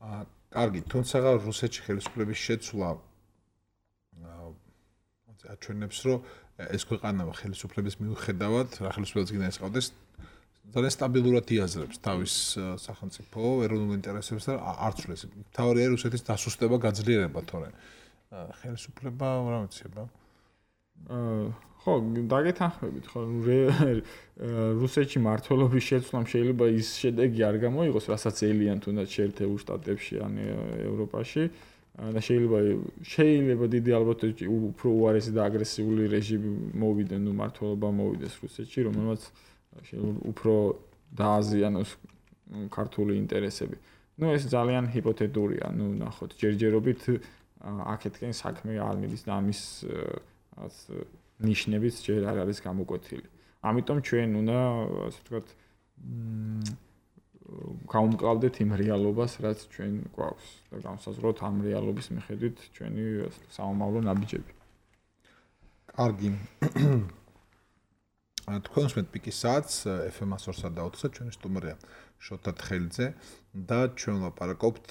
აა, კარგი, თუმცა რუსეთში ხელისუფლების შეცვლა აჩვენებს, რომ ეს ქვეყანა ხელისუფლების მიუხედავად, რა ხელისუფლებას გინდა ეს ყავდეს, ძალიან სტაბილურად იაზრებს თავის სახელმწიფო ეროვნულ ინტერესებს და არ ცვლეს. მთავარია რუსეთის დასუსტება, გაძლიერება, თორე ხელისუფლება რა მეცება? აა ხო, დაგეთანხმებით, ხო, რუსეთში მართლობის შეცვლამ შეიძლება ის შედეგი არ გამოიღოს, რასაც ელიან თუნდაც შეერთებულ შტატებში ან ევროპაში და შეიძლება შეიძლება დიდი ალბათობით უფრო უარესი და აგრესიული რეჟიმი მოვიდეს, ნუ მართლობა მოვიდეს რუსეთში, რომელმაც შეიძლება უფრო დააზიანოს ქართული ინტერესები. ნუ ეს ძალიან ჰიპოთეტურია, ნუ ნახოთ, ჯერჯერობით აქეთკენ საქმე არ მიდის და ამის რაც ნიშნებიც ჯერ არ არის გამოკვეთილი. ამიტომ ჩვენ უნდა, ასე ვთქვათ, გავუმკლავდეთ იმ რეალობას, რაც ჩვენ გვაქვს და განსაზღვროთ ამ რეალობის მიხედვით ჩვენი სამომავლო ნაბიჯები. კარგი. თქვენს მეტ პიკის საათს ეფ ემ ორსა და ოცსა ჩვენი სტუმარია შოთა თხელიძე და ჩვენ ვლაპარაკობთ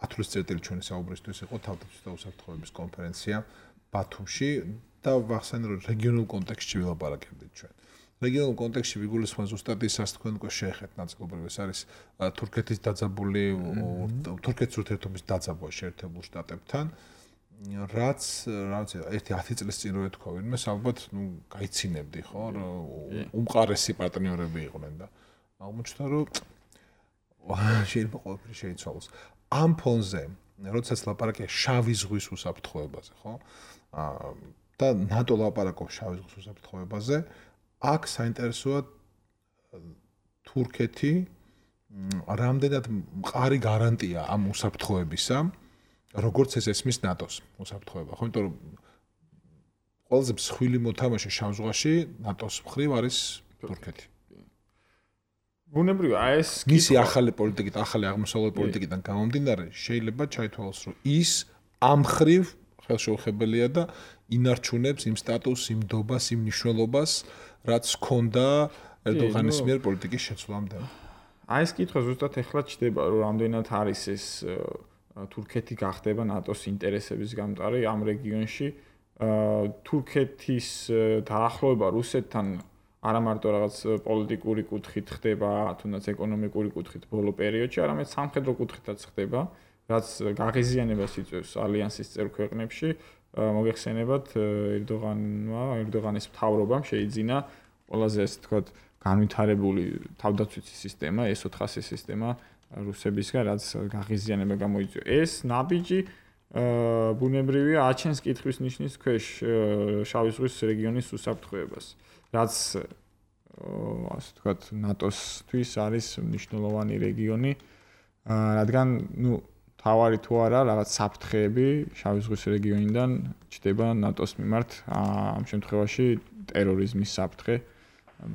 ათვლის წერტილი ჩვენი საუბრისთვის იყო თავდაცვის და უსაფრთხოების კონფერენცია ბათუმში და ვახსენე რომ რეგიონულ კონტექსტში ვილაპარაკებდით ჩვენ. რეგიონულ კონტექსტში ვიგულისხმობ ზუსტად ისაც თქვენ უკვე შეეხეთ ნაწილობრივ ეს არის თურქეთის დაძაბული თურქეთის ურთიერთობის დაძაბვა შეერთებულ შტატებთან რაც რაც ერთი ათი წლის წინ რო ეთქვა ვინმე ალბათ ნუ გაიცინებდი ხო უმყარესი პარტნიორები იყვნენ და აღმოჩნდა რომ შეიძლება ყველაფერი შეიცვალოს ამ ფონზე როდესაც ლაპარაკია შავი ზღვის უსაფრთხოებაზე ხო და ნატო ლაპარაკობს შავი ზღვის უსაფრთხოებაზე აქ საინტერესოა თურქეთი რამდენად მყარი გარანტია ამ უსაფრთხოებისა როგორც ეს ესმის ნატოს უსაფრთხოება ხო იმიტომ რომ ყველაზე მსხვილი მოთამაშე შავ ზღვაში ნატოს მხრივ არის თურქეთი ბუნებრივია ეს მისი ახალი პოლიტიკით ახალი აღმოსავლური პოლიტიკიდან გამომდინარე შეიძლება ჩაითვალოს რომ ის ამ მხრივ ხელშეუხებელია და ინარჩუნებს იმ სტატუსს იმ დობას იმ მნიშვნელობას რაც ჰქონდა ერდოღანის მიერ პოლიტიკის შეცვლამდე აი ეს კითხვა ზუსტად ეხლა ჩდება რომ რამდენად არის ეს თურქეთი გახდება ნატოს ინტერესების გამტარი ამ რეგიონში თურქეთის დაახლოება რუსეთთან არა მარტო რაღაც პოლიტიკური კუთხით ხდება თუნდაც ეკონომიკური კუთხით ბოლო პერიოდში არამედ სამხედრო კუთხითაც ხდება რაც გაღიზიანებას იწვევს ალიანსის წევრ ქვეყნებში მოგეხსენებათ ერდოღანმა ერდოღანის მთავრობამ შეიძინა ყველაზე ასე ვთქვათ განვითარებული თავდაცვითი სისტემა ეს ოთხასი სისტემა რუსებისგან რაც გაღიზიანება გამოიწვია ეს ნაბიჯი ბუნებრივია აჩენს კითხვის ნიშნის ქვეშ შავი ზღვის რეგიონის უსაფრთხოებას რაც ასე ვთქვათ ნატოსთვის არის მნიშვნელოვანი რეგიონი რადგან ნუ თავარი თუ არა რაღაც საფრთხეები შავი ზღვის რეგიონიდან ჩდება ნატოს მიმართ ამ შემთხვევაში ტერორიზმის საფრთხე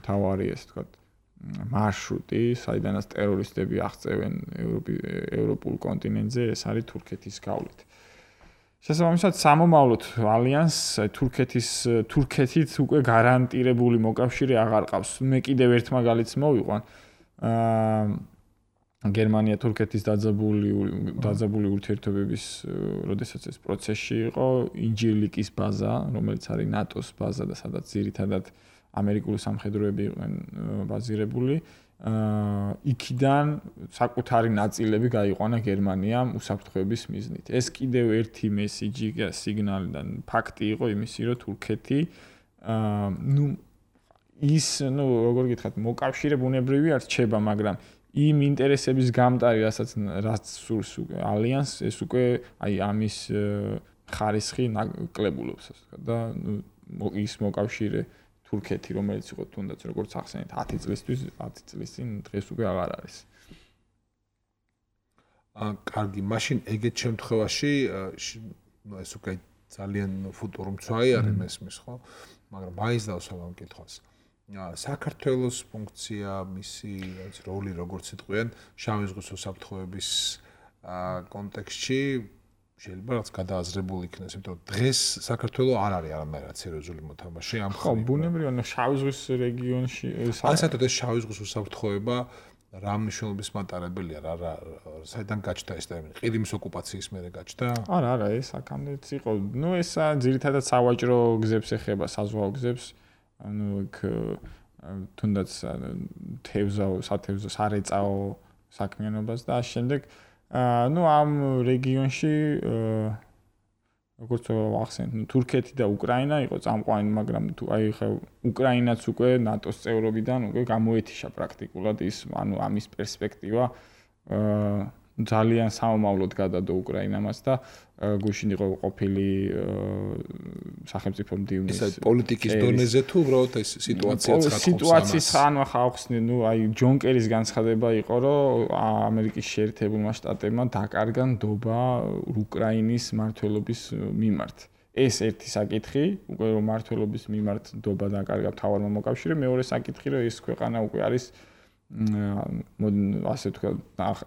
თავარი ასე ვთქვათ მარშრუტი საიდანაც ტერორისტები აღწევენ ევროპულ კონტინენტზე ეს არის თურქეთის გავლით შესაბამისად სამომავლოდ ალიანს თურქეთის თურქეთით უკვე გარანტირებული მოკავშირე აღარ ყავს მე კიდევ ერთ მაგალითს მოვიყვან გერმანია თურქეთის დაძაბული დაძაბული ურთიერთობების როდესაც ეს პროცესში იყო ინჯილიკის ბაზა რომელიც არის ნატოს ბაზა და სადაც ძირითადად ამერიკული სამხედროები იყვნენ ბაზირებული იქიდან საკუთარი ნაწილები გაიყვანა გერმანიამ უსაფრთხოების მიზნით ეს კიდევ ერთი მესიჯი და სიგნალი და ფაქტი იყო იმისი რომ თურქეთი ნუ ის ნუ როგორ გითხრათ მოკავშირე ბუნებრივია რჩება მაგრამ იმ ინტერესების გამტარი რასაც რაც სურს უკვე ალიანს ეს უკვე აი ამის ხარისხი კლებულობს და ნუ ის მოკავშირე თურქეთი, რომელიც იყო თუნდაც როგორც ახსენეთ ათი წლისთვის, ათი წლის წინ დღეს უკვე აღარ არის. აა, კარგი, მაშინ ეგეთ შემთხვევაში ნუ ეს უკვე ძალიან ფუტურო მცვაი არის მესმის, ხო? მაგრამ მაინც დავსვამ ამ კითხვას. საქართველოს ფუნქცია, მისი როლი როგორც იტყვიან, შავი ზღვის უსაფრთხოების კონტექსტში შეიძლება რაც გადააზრებული იქნას, იმიტომ რომ დღეს საქართველოს არ არის არამედ სერიოზული მოთამაშე ამ ხო, ბუნებრივია, შავი ზღვის რეგიონში ან საერთოდ ეს შავი ზღვის უსაფრთხოება რა მნიშვნელობის მატარებელია, რა რა საიდან გაჩნდა ეს ტერმინი? ყირიმის ოკუპაციის მერე გაჩნდა? არა, არა, ეს აქამდეც იყო. ნუ ეს ძირითადად სავაჭრო გზებს ეხება, საზღვაო გზებს. ანუ იქ თუნდაც თევზაო, სათევზო, სარეწაო საქმიანობას და ამ შემდეგ ну ამ რეგიონში როგორც ახსენეთ, ну თურქეთი და უკრაინა იყო წამყვანი, მაგრამ თუ აი ხა უკრაინაც უკვე ნატოს წევრობიდან უკვე გამოეთიშა პრაქტიკულად ის, ანუ ამის პერსპექტივა ძალიან სამომავლოდ გადადო უკრაინამაც და გუშინ იყო ყოფილი სახელმწიფო მდივნის ეს პოლიტიკის დონეზე თუ უბრალოდ ეს სიტუაცია ცხადყოფს ამას. სიტუაციის ანუ ხა ახსნე, ну აი ჯონ კერის განცხადება იყო, რომ ამერიკის შეერთებულმა შტატებმა დაკარგა ნდობა უკრაინის მმართველობის მიმართ. ეს ერთი საკითხი, უკვე რომ მმართველობის მიმართ ნდობა დაკარგა მთავარმა მოკავშირემ, მეორე საკითხი, რომ ეს ქვეყანა უკვე არის ასე თქვა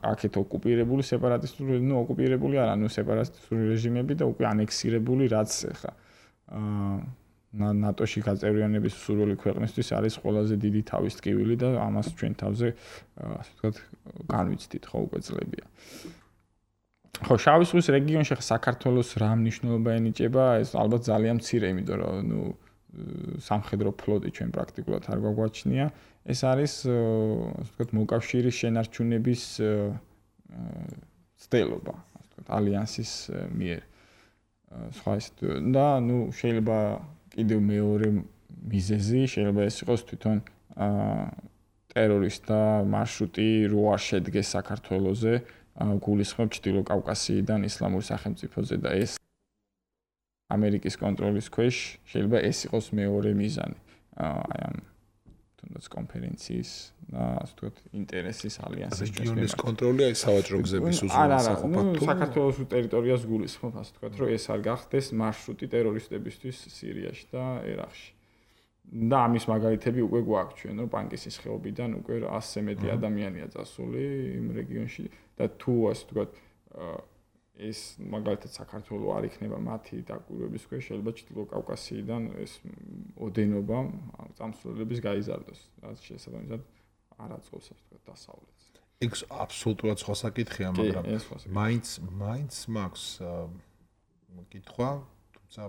აქეთ ოკუპირებული სეპარატისტული, ну ოკუპირებული არა, ну სეპარატისტული რეჟიმები და უკვე ანექსირებული, რაც ხა აა ნატოში გაწევრიანების სურვილი ქვეყნისთვის არის ყველაზე დიდი თავის ტკივილი და ამას ჩვენ თავზე ასე თქვა განვიცდით ხო უკვე წლებია. ხო, შავი ზღვის რეგიონში ხა საქართველოს რა მნიშვნელობა ენიჭება, ეს ალბათ ძალიან მცირე, იმიტომ რომ ну სამხედრო ფლოტი ჩვენ პრაქტიკულად არ გვაგვაჩნია. ეს არის ასე ვთქვათ მოკავშირის შენარჩუნების ცდელობა, ასე ვთქვათ ალიანსის მიერ. სხვა ის და ну შეიძლება კიდევ მეორე მიზეზი შეიძლება ეს იყოს თვითონ ტერორისტთა მარშრუტი რო არ შედგეს საქართველოზე, გულისხმობ ჩრდილო კავკასიიდან ისლამური სახელმწიფოზე და ეს ამერიკის კონტროლის ქვეშ შეიძლება ეს იყოს მეორე მიზანი. აი ამ თუნდაც კონფერენციის და ასე ვთქვათ ინტერესის ალიანსის რეგიონის კონტროლი აი სავაჭრო გზების უზრუნველყოფა თუ საქართველოს ტერიტორიას გულისხმობ, ასე ვთქვათ, რომ ეს არ გახდეს მარშრუტი ტერორისტებისთვის სირიაში და ერაყში. და ამის მაგალითები უკვე გვაქვს ჩვენ, რომ პანკისის ხეობიდან უკვე ასზე მეტი ადამიანია წასული იმ რეგიონში და თუ ასე ვთქვათ ეს მაგალითად საქართველოს არ იქნება მათი დაკვირვების ქვეშ, შეიძლება ჩრდილო კავკასიიდან ეს ოდენობა წამსვლელების გაიზარდოს, რაც შესაბამისად არ აწყობს ასე ვთქვათ დასავლეთს. ეგ აბსოლუტურად სხვა საკითხია, მაგრამ მაინც მაინც მაქვს კითხვა, თუმცა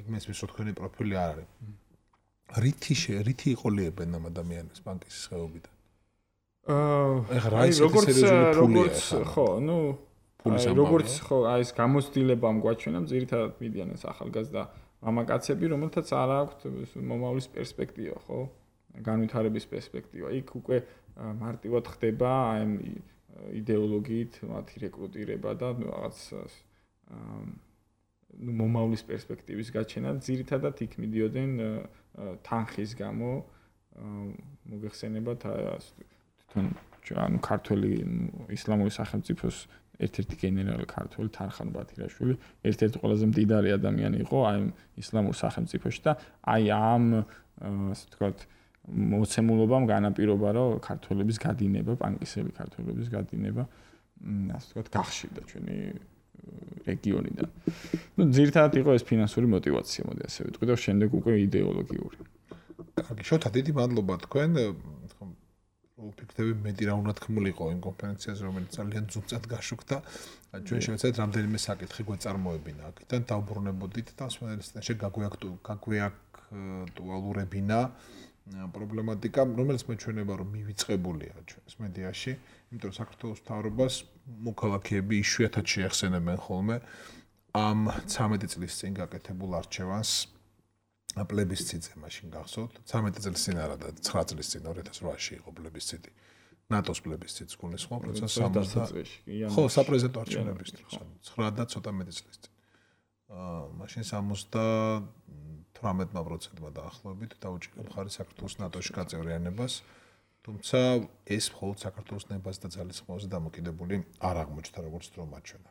ეგ მესმის რომ თქვენი პროფილი არ არის. რითი რითი იყოლიებენ ამ ადამიანებს პანკისის ხეობიდან? აა ეხლა რა ის სერიოზული ფულია ხო, ну როგორც ხო აი ეს გამოცდილებამ გვაჩვენა, ძირითადად მიდიან ეს ახალგაზრდა მამაკაცები, რომელთაც არ აქვთ მომავლის პერსპექტივა, ხო? განვითარების პერსპექტივა. იქ უკვე მარტივად ხდება აი ამ იდეოლოგიით მათი რეკრუტირება და რაღაც ну მომავლის პერსპექტივის გაჩენა, ძირითადად იქ მიდიოდნენ თანხის გამო, მოგეხსენებათ თვითონ ანუ ქართველი ისლამური სახელმწიფოს ერთ-ერთი გენერალი ქართველი თარხან ბათირაშვილი, ერთ-ერთი ყველაზე მდიდარი ადამიანი იყო აი ისლამურ სახელმწიფოში და აი ამ ასე ვთქვათ მოცემულობამ განაპირობა, რომ ქართველების გადინება, პანკისელი ქართველების გადინება, ასე ვთქვათ, გახშირდა ჩვენი რეგიონიდან. ну ძირითადად იყო ეს ფინანსური мотиваცია, მოდი ასე ვიტყვი და შემდეგ უკვე იდეოლოგიური. კარგი, შოთა დიდი მადლობა თქვენ. ვფიქრობ, მეტი რა უნდა თქმული იყო იმ კონფერენციაზე, რომელიც ძალიან ძუნწად გაშუქდა. ჩვენ შევეცადეთ რამდენიმე საკითხი გვეწარმოებინა აქედან, დავბრუნებოდით და სპეციალისტებში გაგვეაქტუალურებინა პრობლემატიკა, რომელიც მეჩვენება, რომ მივიწყებულია ჩვენს მედიაში, იმიტომ რომ საქართველოს მთავრობას მოქალაქეები იშვიათად შეეხსენებენ ხოლმე ამ ცამეტი წლის წინ გაკეთებულ არჩევანს პლებისციტზე მაშინ გახსოვთ, ცამეტი წლის წინ არა და ცხრა წლის წინ ორი ათას რვაში იყო პლებისციტი. ნატოს პლებისციტს გულისხმობ, როცა სამოცდა წელს. ხო, საპრეზიდენტო არჩევნების დროს, ცხრა და ცოტა მეტი წლის წინ. აა, მაშინ სამოცდა თვრამეტ პროცენტმა დაახლოებით დაუჭირდა მხარი საქართველოს ნატოში გაწევრიანებას. თუმცა ეს მხოლოდ საქართველოს ნებას და ძალისხმევაზე დამოკიდებული არ აღმოჩნდა როგორც დრო მაჩვენა.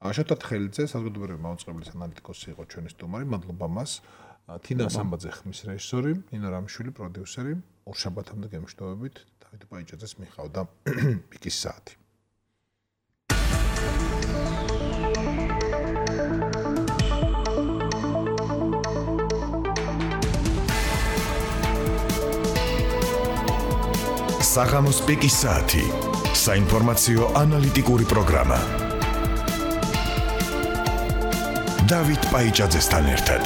აშოტა თხელიძე საზოგადოებრივი მაუწყებლის ანალიტიკოსი იყო ჩვენი სტუმარი, მადლობა მას. თინა სამბაძე ხმის რეჟისორი, ნინო რამიშვილი პროდიუსერი, ორშაბათამდე გემშვიდობებით, დავით ბაიჭაძეს მიხავდა პიკის საათი. საღამოს პიკის საათი, საინფორმაციო ანალიტიკური პროგრამა. დავით ბაიჭაძესთან ერთად.